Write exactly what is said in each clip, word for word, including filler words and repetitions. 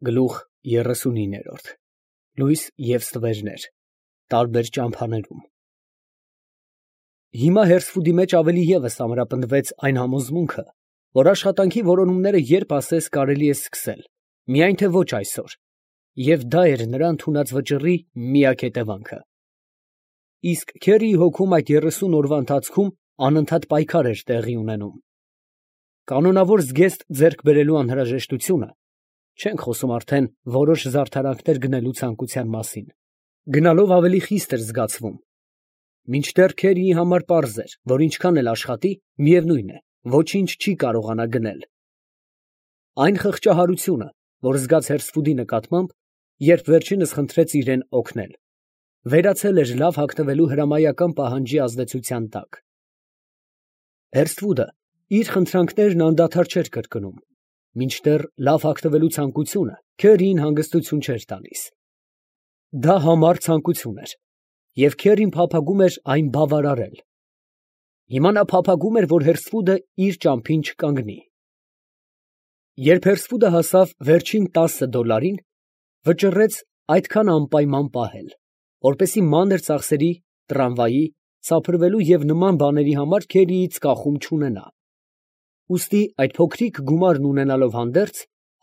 Գլուխ երեսունինը լույս և ստվերներ, տարբեր ճամփաներում։ Հիմա Հերսֆուդի մեջ ավելի ևս ամրապնդվեց այն համոզմունքը, որ աշխատանքի որոնումները երբ ասես կարելի է սկսել, միայն թե ոչ այսօր, և դա էր նրա ընդունած վճռի միակ հետևանքը։ Իսկ Քերիի հոգում այդ երեսուն օրվա ընթացքում անընդհատ պայքար էր տեղի ունենում։ Կանոնավոր զգեստ ձեռք բերելու անհրաժեշտությունը, չենք խոսում արդեն որոշ զարդարանքներ գնելու ցանկության մասին, գնալով ավելի խիստ էր զգացվում, մինչդեռ Քերիի համար պարզ էր, որ ինչքան էլ աշխատի, միևնույն է, ոչինչ չի կարողանա գնել։ Այն խղճահարությունը, որ զգաց Հերսֆուդի նկատմամբ, երբ վերջինս խնդրեց իրան օգնել, վերացել էր լավ հագնվելու հրամայական պահանջի ազդեցության տակ։ Հերսֆուդը իր խնդրանքներն անդադար չէր կրկնում, մինչդեռ լավ հագնվելու ցանկությունը Քերիին հանգստություն չէր տալիս։ Դա համառ ցանկություն էր, և Քերին փափագում էր այն բավարարել։ Հիմա նա փափագում էր, որ Հերսֆուդը իր ճամփին չկանգնի։ Երբ Հերսֆուդը հասավ վերջին տասը դոլարին, վճռեց այդքան անպայման պահել, որպեսզի մանր ծախսերի, տրամվայի, սափրվելու և նման բաների համար Քերիից կախում չունենա։ Ուստի այդ փոքրիկ գումարն ունենալով հանդերձ,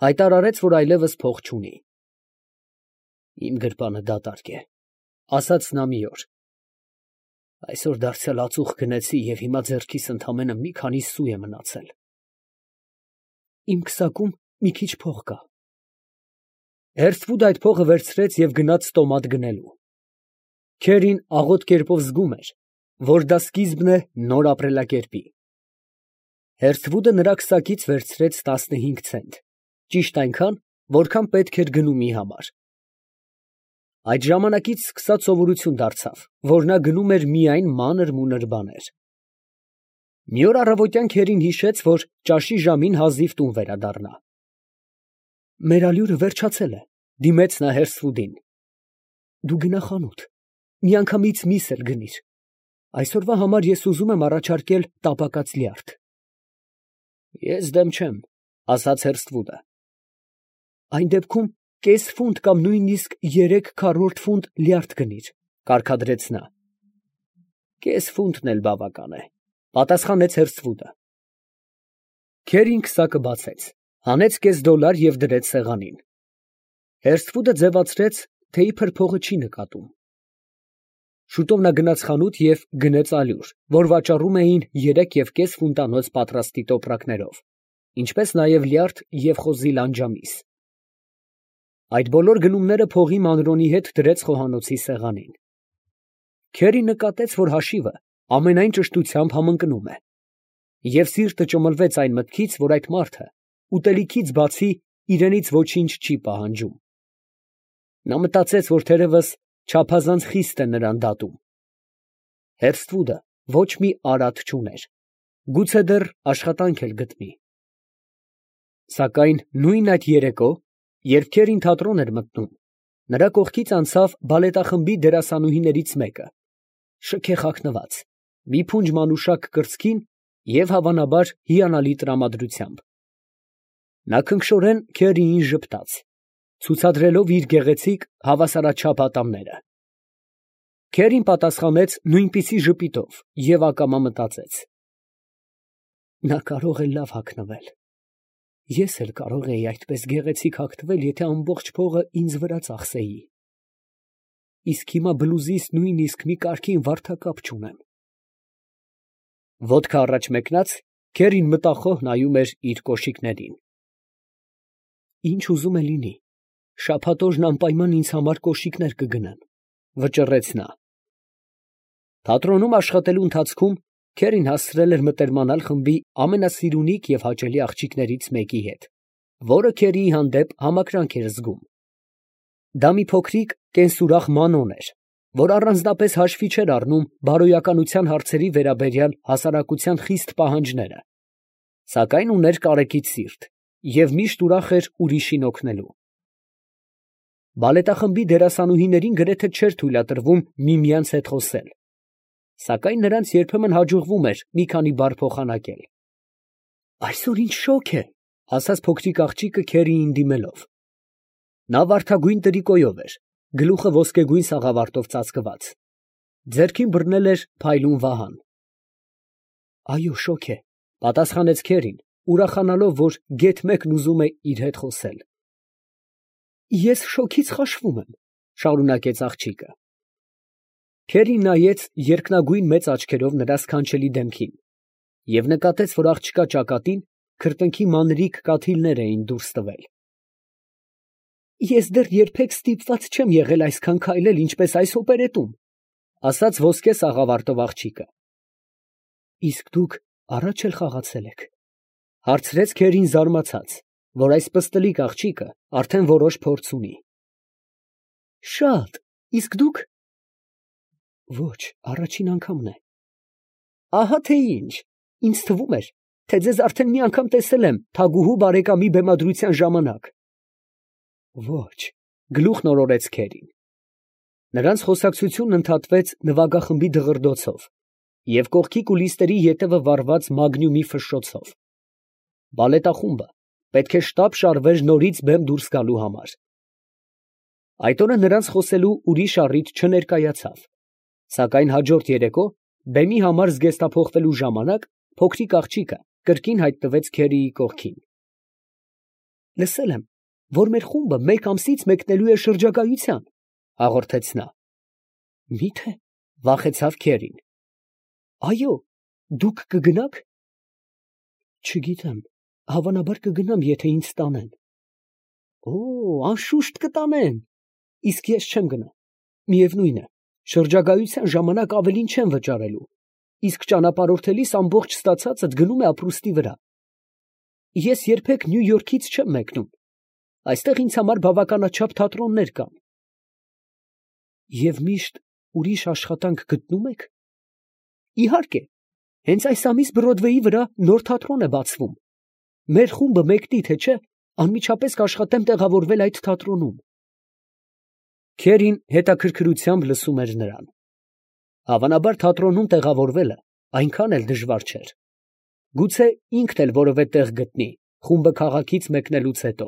հայտարարեց, որ այլևս փող չունի։ «Իմ գրպանը դատարկ է», ֊ ասաց նա մի օր։ «Այսօր դարձյալ ածուխ գնեցի և հիմա ձեռքիս ընդամենը մի քանի սու է մնացել»։ «Իմ քսակում մի քիչ փող կա»։ Հերսֆուդը այդ փողը վերցրեց և գնաց ստոմատ գնելու։ Քերին աղոտ կերպով զգում էր, որ դա սկիզբն է նոր ապրելակերպի։ Հերսֆուդը նրա քսակից վերցրեց տասնհինգ ցենտ, ճիշտ այնքան, որքան պետք էր գնումի համար։ Այդ ժամանակից սկսած սովորություն դարձավ, որ նա գնում էր միայն մանր֊մունր բաներ։ Մի օր առավոտյան Քերին հիշեց, որ ճաշի ժամին հազիվ տուն վերադառնա։ «Մեր ալյուրը վերջացել է», ֊ դիմեց նա Հերսֆուդին։ «Դու գնա խանութ, միանգամից միս էլ գնիր։ Այսօրվա համար ես ուզում եմ առաջարկել տապակած լյարդ»։ «Ես դեմ չեմ», ֊ ասաց Հերսֆուդը։ «Այն դեպքում կես ֆունտ կամ նույնիսկ երեք քառորդ ֆունտ լյարդ գնիր», ֊ կարգադրեց նա։ «Կես ֆունտն էլ բավական է», ֊ պատասխանեց Հերսֆուդը։ Քերին քսակը բացեց, հանեց կես դոլար և դրեց սեղանին։ Հերսֆուդը ձևացրեց, թե իբր փողը չի նկատում։ Շուտով նա գնաց խանութ և գնեց ալյուր, որ վաճառում էին երեք և կես ֆունտանոց պատրաստի տոպրակներով, ինչպես նաև լյարդ և խոզի լանջամիս։ Այդ բոլոր գնումները փողի մանրոնի հետ դրեց խոհանոցի սեղանին։ Քերին նկատեց, որ հաշիվը ամենայն ճշտությամբ համընկնում է, և սիրտը ճմլվեց այն մտքից, որ այդ մարդը ուտելիքից բացի իրենից ոչինչ չի պահանջում։ Նա մտածեց, որ թերևս չափազանց խիստ է նրան դատում։ Հերսֆուդը ոչ մի արատ չուներ, գուցե դեռ աշխատանք էլ գտնի։ Սակայն նույն այդ երեկո, երբ Քերին թատրոն էր մտնում, նրա կողքից անցավ բալետախմբի դերասանուհիներից մեկը, շքեղ հագնված, մի փունջ մանուշակ կրծքին և, հավանաբար, հիանալի տրամադրությամբ։ Նա քնքշորեն Քերիին ժպտաց, ցուցադրելով իր գեղեցիկ, հավասարաչափ ատամները։ Քերին պատասխանեց նույնպիսի ժպիտով և ակամա մտածեց. «Նա կարող է լավ հագնվել, ես էլ կարող էի այդպես գեղեցիկ հագնվել, եթե ամբողջ փողը ինձ վրա ծախսեի։ Իսկ հիմա բլուզիս նույնիսկ մի կարգին վարդակապ չունեմ»։ Ոտքը առաջ մեկնած, Քերին մտախոհ նայում էր իր կոշիկներին։ «Ինչ ուզում է լինի, շաբաթ օրն անպայման ինձ համար կոշիկներ կգնեն», ֊ վճռեց նա։ Թատրոնում աշխատելու ընթացքում Քերին հասցրել էր մտերմանալ խմբի ամենասիրունիկ և հաճելի աղջիկներից մեկի հետ, որը Քերիի հանդեպ համակրանք էր զգում։ Դա մի փոքրիկ կենսուրախ մանոն էր, որ առանձնապես հաշվի չէր առնում բարոյականության հարցերի վերաբերյալ հասարակության խիստ պահանջները, սակայն ուներ կարեկից սիրտ և միշտ ուրախ էր ուրիշին օգնելու։ Բալետախմբի դերասանուհիներին գրեթե չէր թույլատրվում միմյանց հետ խոսել, սակայն նրանց երբեմն հաջողվում էր մի քանի բառ փոխանակել։ «Այսօր ինչ շոգ է», ֊ ասաց փոքրիկ աղջիկը Քերիին դիմելով։ Նա վարդագույն տրիկոյով էր, գլուխը ոսկեգույն սաղավարտով ծածկված, ձեռքին բռնել էր փայլուն վահան։ Այո, շոգ է, պատասխանեց Քերին, ուրախանալով, որ գեթ մեկն ուզում է իր հետ խոսել։ Ես շոգից խաշվում եմ, շարունակեց աղջիկը։ Քերին նայեց երկնագույն մեծ աչքերով նրա սքանչելի դեմքին և նկատեց, որ աղջկա ճակատին քրտինքի մանրիկ կաթիլներ էին դուրս տվել։ Ես դեռ երբեք ստիպված չեմ եղել այսքան քայլել, ինչպես այս օպերետում, ասաց ոսկե սաղավարտով աղջիկը։ Իսկ դուք առաջ էլ խաղացել եք, հարցրեց Քերին զարմացած, որ այս պստլիկ աղջիկը արդեն որոշ փորձ ունի։ Շատ, իսկ դուք։ Ոչ, առաջին անգամն է։ Ահա թե ինչ, ինձ թվում էր, թե ձեզ արդեն մի անգամ տեսել եմ թագուհու բարեկամի բեմադրության ժամանակ։ Ոչ, գլուխն օրորեց Քերին։ Նրանց խոսակցությունն ընդհատվեց նվագախմբի դղրդոցով և կողքի կուլիսների ետևը վառված մագնյումի ֆշշոցով։ Բալետախումբը պետք է շտապ շարվեր նորից բեմ դուրս գալու համար։ Այդ օրը նրանց խոսելու ուրիշ առիթ չներկայացավ, սակայն հաջորդ երեկո բեմի համար զգեստափոխվելու ժամանակ փոքրիկ աղջիկը կրկին հայտնվեց Քերիի կողքին։ Լսել եմ, որ մեր խումբը մեկ ամսից մեկնելու է շրջագայության, հաղորդեց նա։ Մի՞թե, վախեցավ Քերին։ Այո, դուք կգնաք։ Չգիտեմ, հավանաբար կգնամ, եթե ինձ տանեն։ Օ, անշուշտ կտանեն, իսկ ես չեմ գնա։ Միևնույն է, շրջագայության ժամանակ ավելին չեմ վճարելու, իսկ ճանապարհորդելիս ամբողջ ստացածդ գնում է ապրուստի վրա։ Ես երբեք Նյու Յորքից չեմ մեկնում, այստեղ ինձ համար բավականաչափ թատրոններ կան։ Եվ միշտ ուրիշ աշխատանք գտնում եք։ Իհարկե, հենց այս ամիս Բրոդվեյի վրա նոր թատրոն է բացվում։ Մեր խումբը մեկնի, թե չէ, անմիջապես կաշխատեմ տեղավորվել այդ թատրոնում։ Քերին հետաքրքրությամբ լսում էր նրան։ Հավանաբար թատրոնում տեղավորվելը այնքան էլ դժվար չէր։ Գուցե ինքն էլ որևէ տեղ գտնի, խումբը քաղաքից մեկնելուց հետո։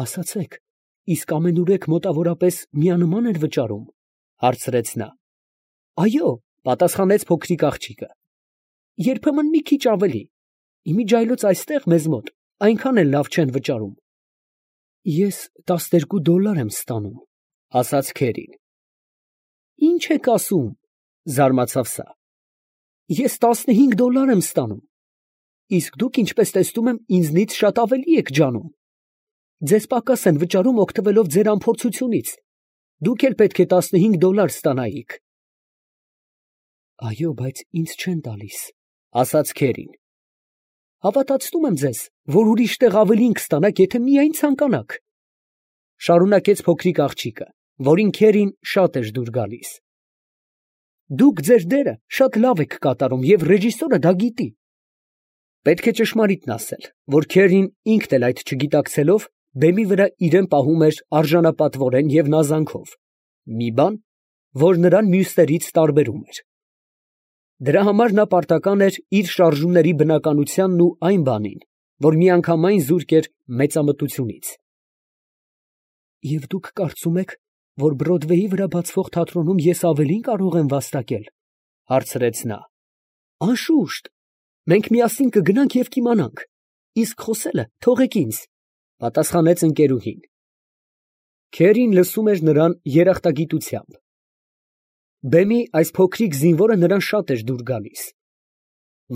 Ասացեք, իսկ ամենուրեք մոտավորապես միանման են վճարում, հարցրեց նա։ Այո, պատասխանեց փոքրիկ աղջիկը։ Երբեմն մի քիչ ավելի, իմիջիայլոց այստեղ մեզ մոտ այնքան էլ լավ չեն վճարում։ Ես տասներկու դոլար եմ ստանում, ասաց Քերին։ Ինչ եք ասում, զարմացավ սա։ Ես տասնհինգ դոլար եմ ստանում, իսկ դուք, ինչպես տեսնում եմ, ինձնից շատ ավելի եք ջանում։ Ձեզ պակաս են վճարում օգտվելով ձեր անփորձությունից։ Դուք էլ պետք է տասնհինգ դոլար ստանայիք։ Այո, բայց ինձ չեն տալիս, ասաց Քերին։ Հավատացնում եմ ձեզ, որ ուրիշ տեղ ավելին կստանաք, եթե միայն ցանկանաք, շարունակեց փոքրիկ աղջիկը, որին Քերին շատ էր դուր գալիս։ Դուք ձեր դերը շատ լավ եք կատարում և ռեժիսորը դա գիտի։ Պետք է ճշմարիտն ասել, որ Քերին ինքն էլ այդ չգիտակցելով բեմի վրա իրեն պահում էր արժանապատվորեն և նազանքով, մի բան, որ նրան մյուսներից տարբերում էր։ Դրա համար նա պարտական էր իր շարժումների բնականությանն ու այն բանին, որ միանգամայն զուրկ էր մեծամտությունից։ Եվ դուք կարծում եք, որ Բրոդվեյի վրա բացվող թատրոնում ես ավելին կարող եմ վաստակել, հարցրեց նա։ Անշուշտ, մենք միասին կգնանք և կիմանանք, իսկ խոսելը թողեք ինձ, պատասխանեց ընկերուհին։ Քերին լսում էր նրան երախտագիտությամբ։ Բեմի այս փոքրիկ զինվորը նրան շատ էր դուր գալիս։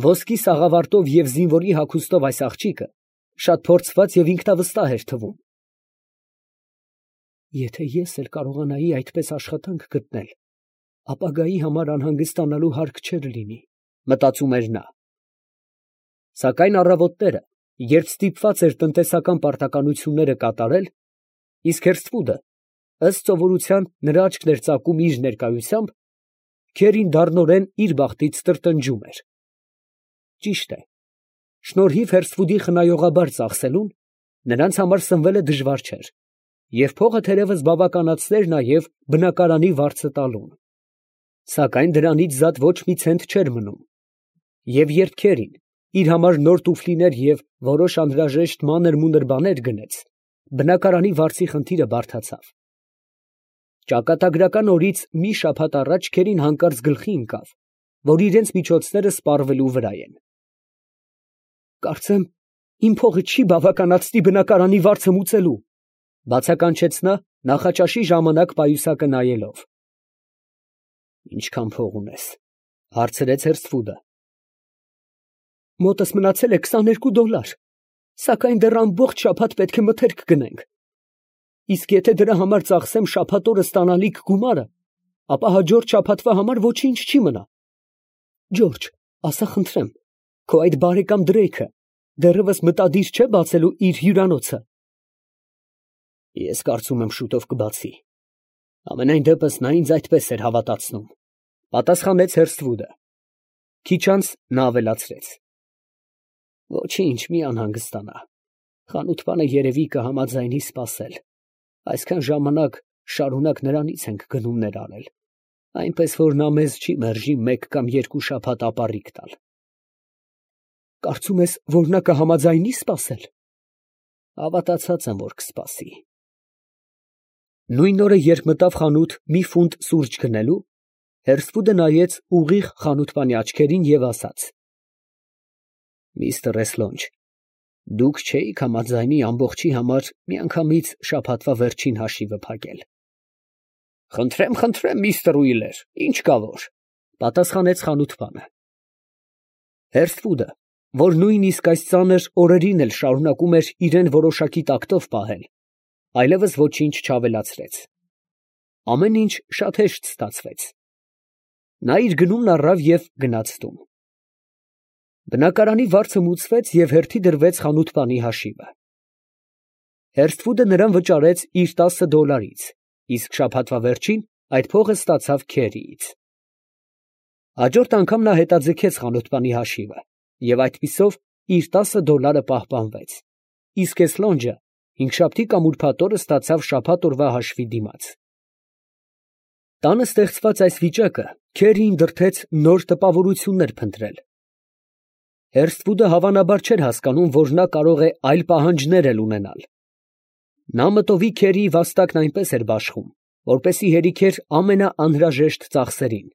Ոսկի սաղավարտով և զինվորի հագուստով այս աղջիկը շատ փորձված և ինքնավստահ էր թվում։ Եթե ես էլ կարողանայի այդպես աշխատանք գտնել, ապագայի համար անհանգստանալու հարկ չէր լինի, մտածում էր նա։ Սակայն առավոտները, երբ ստիպված էր տնտեսական պարտականությունները կատարել, իսկ Հերսթվուդը, ըստ սովորության, նրա աչքն էր ծակում իր ներկայությամբ, Քերին դառնորեն իր բախտից տրտնջում էր։ Ճիշտ է, շնորհիվ Հերսթվուդի խնայողաբար ծախսելուն, նրանց համար սնվելը դժվար չէր, և փողը թերևս բավականացներ նաև բնակարանի վարձը տալուն։ Սակայն դրանից զատ ոչ մի ցենտ չէր մնում։ Եվ երբ Քերին իր համար նոր տուֆլիներ և որոշ անհրաժեշտ մանր֊մունր բաներ գնեց, բնակարանի վարձի խնդիրը բարդացավ։ Ճակատագրական օրից մի շաբաթ առաջ Քերին հանկարծ գլխի ընկավ, որ իրենց միջոցները սպառվելու վրա են։ Կարծեմ, իմ փողը չի բավականացնի բնակարանի վարձը մուծելու, բացականչեց նա նախաճաշի ժամանակ պայուսակը նայելով։ Ինչքան փող ունես, հարցրեց Հերսթվուդը։ Մոտս մնացել է քսաներկու դոլար, սակայն դեռ ամբողջ շաբաթ պետք է մթերք գնենք։ Իսկ եթե դրա համար ծախսեմ շաբաթ օրը ստանալիք գումարը, ապա հաջորդ շաբաթվա համար ոչինչ չի մնա։ Ջորջ, ասա խնդրեմ, քո այդ բարեկամ Դրեյքը դեռևս մտադիր չէ բացելու իր հյուրանոցը։ Ես կարծում եմ շուտով կբացի։ Ամենայն դեպս նա ինձ այդպես էր հավատացնում, պատասխանեց Հերսթվուդը։ Քիչ անց նա ավելացրեց. Ոչինչ, մի անհանգստանա։ Խանութպանը երևի կհամաձայնի սպասել։ Այսքան ժամանակ շարունակ նրանից ենք գնումներ անել, այնպես որ նա մեզ չի մերժի մեկ կամ երկու շաբաթ ապառիկ տալ։ Կարծում ես, որ նա կհամաձայնի սպասել։ Հավատացած եմ, որ կսպասի։ Նույն օրը, երբ մտավ խանութ մի ֆունտ սուրճ գնելու, Հերսթվուդը նայեց ուղիղ խանութպանի աչքերին և ասաց. Միստր Էսլոնջ, դուք չէիք համաձայնի ամբողջի համար միանգամից շաբաթվա վերջին հաշիվը փակել։ Խնդրեմ, խնդրեմ, միստր Ուիլեր, ինչ կա որ, պատասխանեց խանութպանը։ Հերսթվուդը, որ նույնիսկ այս ծանր օրերին էլ շարունակում էր իրեն որոշակի տակտով պահել, այլևս ոչինչ չավելացրեց։ Ամեն ինչ շատ հեշտ ստացվեց։ Նա իր գնումն առավ և գնաց տուն։ Բնակարանի վարձը մուծվեց և հերթի դրվեց խանութպանի հաշիվը։ Հերսթվուդը նրան վճարեց իր տասը դոլարից, իսկ շաբաթվա վերջին այդ փողը ստացավ Քերիից։ Հաջորդ անգամ նա հետաձգեց խանութպանի հաշիվը և այդպիսով իր տասը դոլարը պահպանվեց, իսկ Էսլոնջը հինգշաբթի կամ ուրբաթ օրը ստացավ շաբաթ օրվա հաշվի դիմաց։ Տանը ստեղծված այս վիճակը Քերիին դրդեց նոր տպավորություններ փնտրել։ Հերսթվուդը հավանաբար չէր հասկանում, որ նա կարող է այլ պահանջներ էլ ունենալ։ Նա մտովի Քերիի վաստակն այնպես էր բաշխում, որպեսզի հերիքեր ամենաանհրաժեշտ ծախսերին,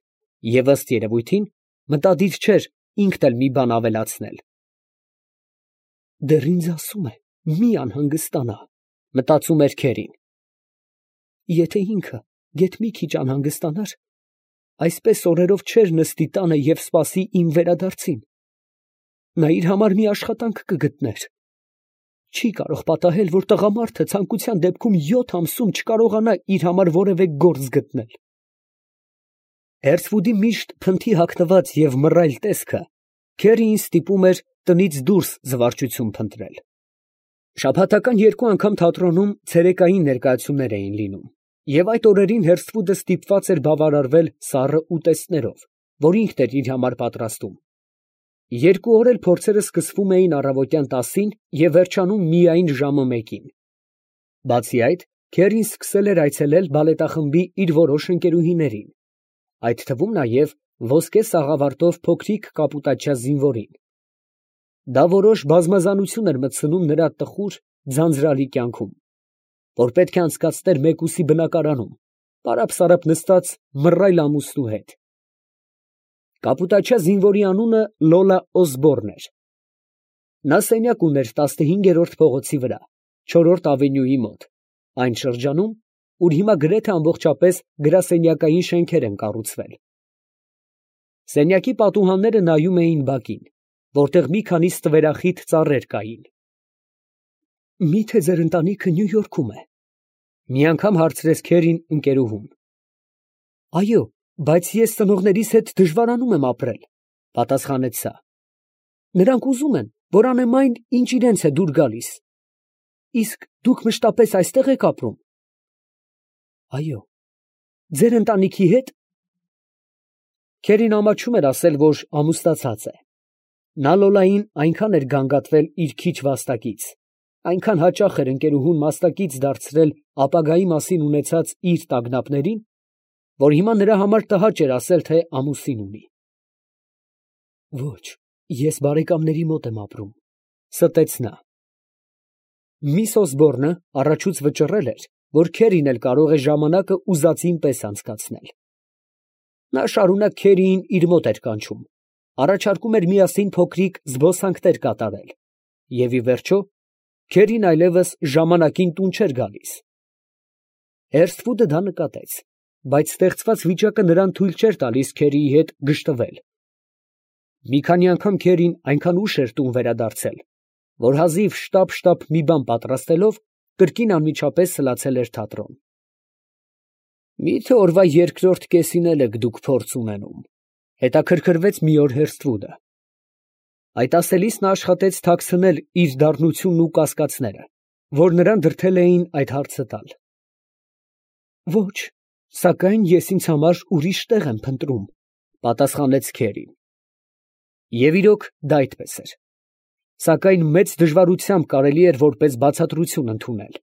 և ըստ երևույթին մտադիր չէր ինքն էլ մի բան ավելացնել։ Դեռ ինձ ասում է, մի անհանգստանա, մտածում էր Քերին։ Եթե ինքը գեթ մի քիչ անհանգստանար, այսպես օրերով չէր նստի տանը և սպասի իմ վերադարձին։ Նա իր համար մի աշխատանք կգտներ։ Չի կարող պատահել, որ տղամարդը ցանկության դեպքում յոթ ամսում չկարողանա իր համար որևէ գործ գտնել։ Հերսթվուդի միշտ փնթի հագնված և մռայլ տեսքը Քերիին ստիպում էր տնից դուրս զվարճություն փնտրել։ Շաբաթական երկու անգամ թատրոնում ցերեկային ներկայացումներ էին լինում, և այդ օրերին Հերսթվուդը ստիպված էր բավարարվել սառը ուտեստներով, որ ինքն էր իր համար պատրաստում։ Երկու օր էլ փորձերը սկսվում էին առավոտյան տասին և վերջանում միայն ժամը մեկին։ Բացի այդ, Քերին սկսել էր այցելել բալետախմբի իր որոշ ընկերուհիներին, այդ թվում նաև ոսկե սաղավարտով փոքրիկ կապուտաչյա զինվորին։ Դա որոշ բազմազանություն էր մտցնում նրա տխուր, ձանձրալի կյանքում, որ պետք է անցկացներ մեկուսի բնակարանում, պարապ֊սարապ նստած մռայլ ամուսնու հետ։ Կապուտաչյա զինվորի անունը Լոլա Օսբորն էր։ Նա սենյակ ուներ տասնհինգերորդ փողոցի վրա, չորրորդ ավենյուի մոտ, այն շրջանում, ուր հիմա գրեթե ամբողջապես գրասենյակային շենքեր են կառուցվել։ Սենյակի պատուհանները նայում էին բակին, որտեղ մի քանի ստվերախիտ ծառեր կային։ Մի՞թե ձեր ընտանիքը Նյու Յորքում է, ֊ մի անգամ հարցրեց Քերին ընկերուհուն։ Այո, բայց ես ծնողներիս հետ դժվարանում եմ ապրել, ֊ պատասխանեց նա։ Նրանք ուզում են, որ անեմ այն, ինչ իրենց է դուր գալիս։ Իսկ դուք մշտապես այստե՞ղ եք ապրում։ Այո։ Ձեր ընտանիքի հետ։ Քերին ամաչում էր ասել, որ ամուսնացած է։ Նա Լոլային այնքան էր գանգատվել իր քիչ վաստակից, այնքան հաճախ էր ընկերուհուն մասնակից դարձրել ապագայի մասին ունեցած իր տագնապներին, որ հիմա նրա համար տհաճ էր ասել, թե ամուսին ունի։ Ոչ, ես բարեկամների մոտ եմ ապրում, ֊ ստեց նա։ Միս Օսբորնը առաջուց վճռել էր, որ Քերին էլ կարող է ժամանակը ուզածին պես անցկացնել. նա շարունակ Քերիին իր մոտ էր կանչում, առաջարկում էր միասին փոքրիկ զբոսանքներ կատարել, և ի վերջո, Քերին այլևս ժամանակին տուն չէր գալիս։ Հերսթվուդը դա նկատեց, բայց ստեղծված վիճակը նրան թույլ չէր տալիս Քերիի հետ գժտվել։ Մի քանի անգամ Քերին այնքան ուշ էր տուն վերադարձել, որ հազիվ շտապ֊շտապ մի բան պատրաստելով, կրկին անմիջապես սլացել էր թատրոն։ «Մի՞թե օրվա երկրորդ կեսին էլ եք դուք փորձ ունենում, ֊ հետաքրքրվեց մի օր Հերսթվուդը։ Այդ ասելիս նա աշխատեց թաքցնել իր դառնությունն ու կասկածները, որ նրան դրդել էին այդ հարցը տալ։ ֊ Ոչ, սակայն ես ինձ համար ուրիշ տեղ եմ փնտրում, ֊ պատասխանեց Քերին։ Եվ իրոք, դա այդպես էր, սակայն մեծ դժվարությամբ կարելի էր որպես բացատրություն ընդունել։